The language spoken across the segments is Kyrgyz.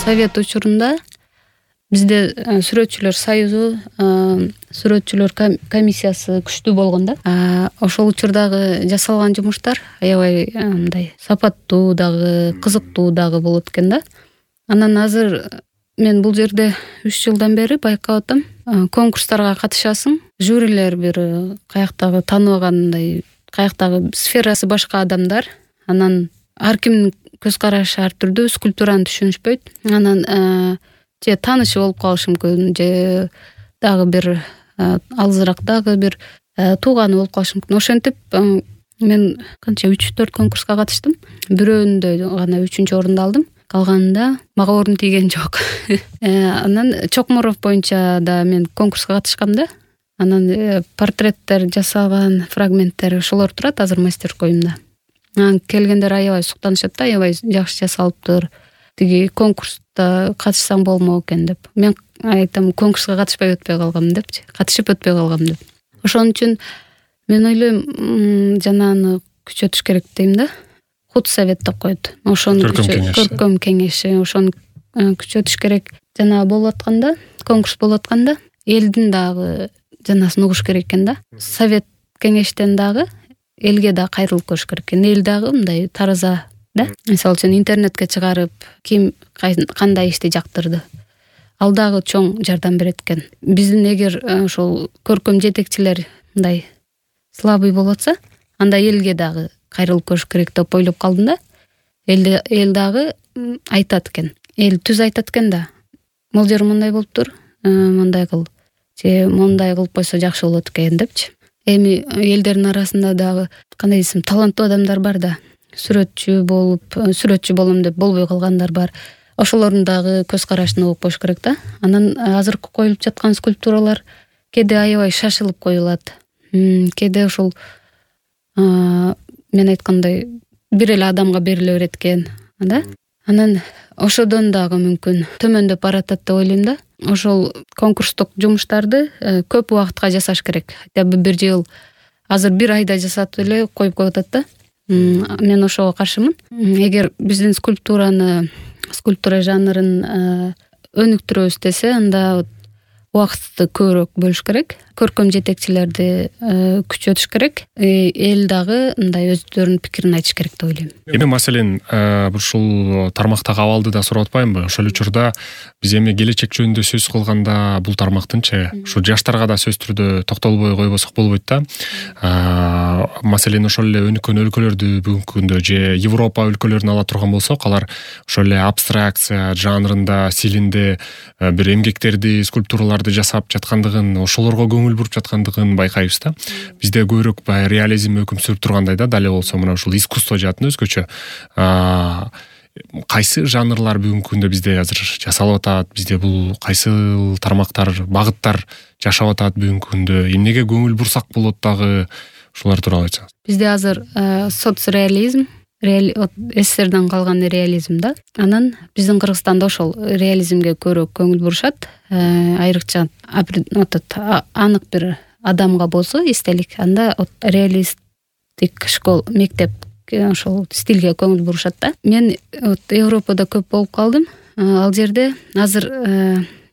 Совет учурунда бизде сүрөтчүлөр союзу, сүрөтчүлөр комиссиясы күчтүү болгон да. Ошол учурдагы жасалган жумуштар аябай мындай сапаттуу дагы, кызыктуу дагы болот экен да. Анан азыр мен бул жерде 3 жылдан бери байкап атам. Конкурстарга катышасың, жюрилер бир каяктагы тааныбагандай, каяктагы сферасы башка адамдар. Анан ар кимдин көз карашы ар түрдүү, скульптураны түшүнүшпөйт. Анан же таанышы болуп калышы мүмкүн, же дагы бир алысыраак дагы бир тууганы болуп калышы мүмкүн. Ошентип мен канча 3-4 конкурска катыштым. Бирөөндө гана 3-орунду алдым. Калганында мага орун тийген жок. Анан Чокморов боюнча да мен конкурска катышкам да. Анан портреттер жасалган фрагменттер ошолор турат азыр мастер-коюмда. Келгендер аябай суктанышат да, аябай жакшы жасалыптыр. Тиги конкурста катышсаң болмок экен деп. Мен айтам, конкурска катышпай өтпөй калгам депчи. Катышып өтпөй калгам деп. Ошон үчүн мен ойлойм, жанагы күчөтүш керек дейм да. Худсовет деп коет. Ошону көркөм кеңеши, ошону күчөтүш керек. Жана болуп атканда, конкурс болуп атканда, элдин дагы жанасын угуш керек экен да. Совет кеңештен дагы элге да кайрылып көрүш керек экен. Эл дагы мындай тараза да. Мисалы үчүн интернетке чыгарып, ким кандай ишти жактырды. Ал дагы чоң жардам берет экен. Биздин эгер ошол көркөм жетекчилер мындай слабый болуп атса, анда элге дагы кайрылып көрүш керек деп ойлоп калдым да. Эл дагы айтат экен. Эл түз айтат экен да. Бул жер мындай болуптур, мындай кыл. Же мындай кылып койсо жакшы болот экен депчи. Эми элдердин арасында дагы кандай десем, таланттуу адамдар бар да. Сүрөтчү болом деп болбой калгандар бар. Ошолордун дагы көз карашын угуп коюш керек да. Анан азыркы коюлуп жаткан скульптуралар кээде аябай шашылып коюлат. Кээде ошол мен айткандай бир эле адамга бериле берет экен, да? Анан ошодон дагы мүмкүн төмөндөп баратат деп ойлойм да. Ошол конкурстук жумуштарды көп убакытка жасаш керек. Хотя бы бир жыл, азыр бир айда жасап эле коюп коюп атат да. Мен ошого каршымын. Эгер биздин скульптура жанрын өнүктүрөбүз десе, анда убакытты көбүрөөк бөлүш керек. Көркөм жетекчилерди күчөтүш керек. Эл дагы мындай өздөрүнүн пикирин айтыш керек деп ойлойм. Эми маселен, ушул тармактагы абалды да сурап атпаймынбы? Ошол учурда биз эми келечек жөнүндө сөз кылганда бул тармактынчы ушу жаштарга да сөз түрдө токтолбой койбосок болбойт да. Маселен, ошол эле өнүккөн өлкөлөрдү бүгүнкү күндө же Европа өлкөлөрүн ала турган болсок, алар ошол эле абстракция жанрында, стилинде бир эмгектерди, скульптураларды жасап жаткандыгын, ошолорго көңүл буруп жаткандыгын байкайбыз да. Бизде көбүрөөк реализм өкүм сүрүп тургандай да, дале болсо мына ушул искусство жаатын өзгөчө. Кайсы жанрлар бүгүнкү күндө бизде азыр жасалып атат? Бизде бул кайсы тармактар, багыттар жашап атат бүгүнкү күндө? Эмнеге көңүл бурсак болот дагы? Ушулар тууралуу айтсаңыз. Бизде азыр соцреализм, СССРден калган реализм да. Анан биздин Кыргызстанда ошол реализмге көбүрөөк көңүл бурушат. Айрыкча анык бир адамга болсо эстелик, анда реалистик школ, мектеп ошол стилге көңүл бурушат да. Мен Европада көп болуп калдым. Ал жерде азыр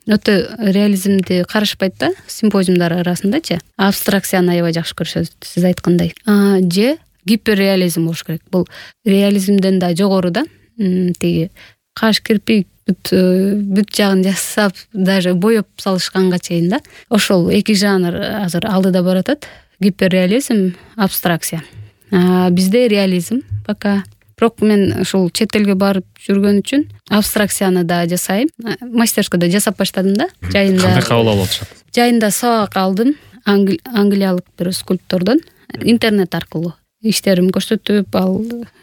өтө реализмди карашпайт да, симпозиумдар арасындачы. Абстракцияны аябай жакшы көрүшөт, сиз айткандай. Же гиперреализм болуш керек. Бул реализмден да жогору да. Тиги каш, кирпик, бүт жагын жасап, даже боеп салышканга чейин да. Ошол эки жанр азыр алдыда баратат. Гиперреализм, абстракция. Бизде реализм пока. Бирок мен ушул чет элге барып жүргөн үчүн абстракцияны да жасайм. Мастерскойдо жасап баштадым да. Жайында. Кандай кабыл алып атышат? Жайында сабак алдым англиялык бир скульптордон интернет аркылуу. Иштерим көрсөтүп, ал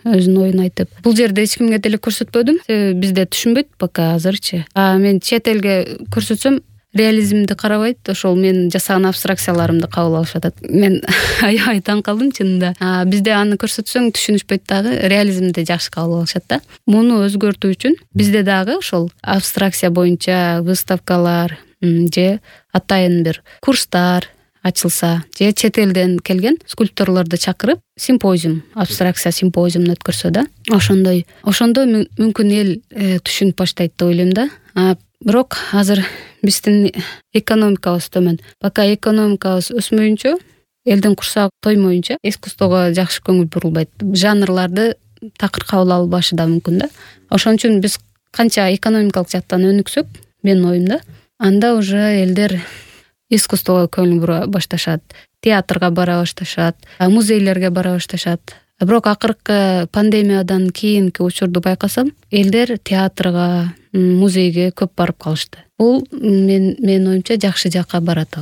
өзүнүн оюн айтып. Бул жерде эч кимге деле көрсөтпөдүм. Бизде түшүнбөйт пока азырчы. Мен чет элге көрсөтсөм, реализмди карабайт, ошол мен жасаган абстракцияларымды кабыл алышып атат. Мен аябай таң калдым чынында. Бизде аны көрсөтсөң түшүнүшпөйт дагы, реализмди жакшы кабыл алышат да. Муну өзгөртүү үчүн бизде дагы ошол абстракция боюнча выставкалар же атайын бир курстар, ачылса же чет элден келген скульпторлорду чакырып симпозиум, абстракция симпозиумун өткөрсө да ошондо мүмкүн эл түшүнүп баштайт деп ойлойм да. Бирок азыр биздин экономикабыз төмөн. Пока экономикабыз өсмөйүнчө, элдин курсагы тоймоюнча искусствого жакшы көңүл бурулбайт. Жанрларды такыр кабыл албашы да мүмкүн да. Ошон үчүн биз канча экономикалык жактан өнүксөк, менин оюмда, анда уже элдер искусствого көңүл бура башташат, театрга бара башташат, музейлерге бара башташат. Бирок акыркы пандемиядан кийинки учурду байкасам, элдер театрга, музейге көп барып калышты. Бул менин оюмча жакшы жакка барат.